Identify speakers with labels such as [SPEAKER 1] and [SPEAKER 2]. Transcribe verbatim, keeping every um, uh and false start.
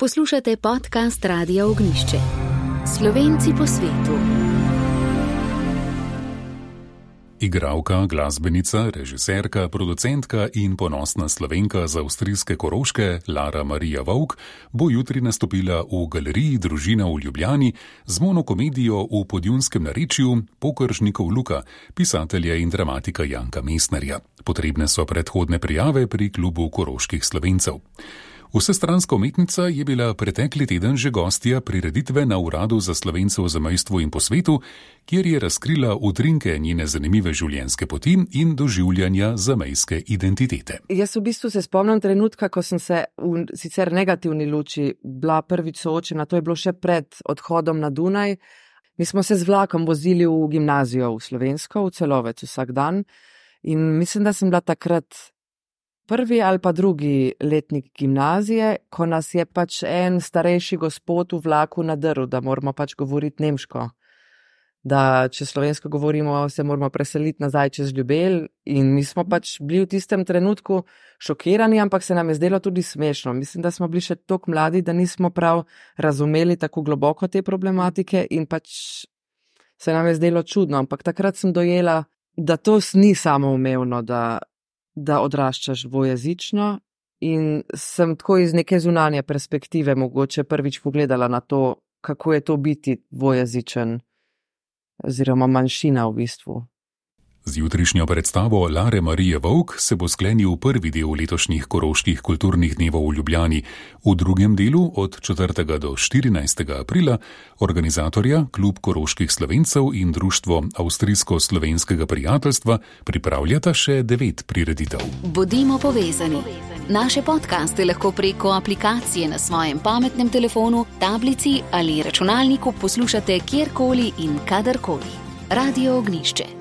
[SPEAKER 1] Poslušate podcast Radia Ognjišče. Slovenci po svetu. Igralka, glasbenica, režiserka, producentka in ponosna Slovenka z avstrijske Koroške Lara Marija Vovk bo jutri nastopila v galeriji Družina v Ljubljani z monokomedijo v podjunskem narečju Pokršnikov Luka, pisatelja in dramatika Janka Mestnerja. Potrebne so predhodne prijave pri klubu koroških Slovencev. Vsestranska umetnica je bila pretekli teden že gostja prireditve na Uradu za Slovence v zamejstvu in po svetu, kjer je razkrila utrinke njene zanimive življenjske poti in doživljanja zamejske identitete.
[SPEAKER 2] Jaz v bistvu se spomnim trenutka, ko sem se v sicer negativni luči bila prvič soočena, to je bilo še pred odhodom na Dunaj. Mi smo se z vlakom vozili v gimnazijo v Slovensko, v Celovec vsak dan in mislim, da sem bila takrat prvi ali pa drugi letnik gimnazije, ko nas je pač en starejši gospod v vlaku nadrl, da moramo pač govoriti nemško. Da če slovensko govorimo, se moramo preseliti nazaj čez Ljubelj in mi smo pač bili v tistem trenutku šokirani, ampak se nam je zdelo tudi smešno. Mislim, da smo bili še toliko mladi, da nismo prav razumeli tako globoko te problematike in pač se nam je zdelo čudno, ampak takrat sem dojela, da to ni samoumevno, da da odraščaš dvojezično in sem tako iz neke zunanje perspektive mogoče prvič pogledala na to, kako je to biti dvojezičen oziroma manjšina v bistvu.
[SPEAKER 1] Z jutrišnjo predstavo Lare Marije Vovk se bo sklenil prvi del letošnjih koroških kulturnih dnevov v Ljubljani. V drugem delu od četrtega do štirinajstega aprila organizatorja Klub koroških Slovencev in Društvo avstrijsko-slovenskega prijateljstva pripravljata še devet prireditev. Bodimo povezani. Naše podcaste lahko preko aplikacije na svojem pametnem telefonu, tablici ali računalniku poslušate kjerkoli in kadarkoli. Radio Ognjišče.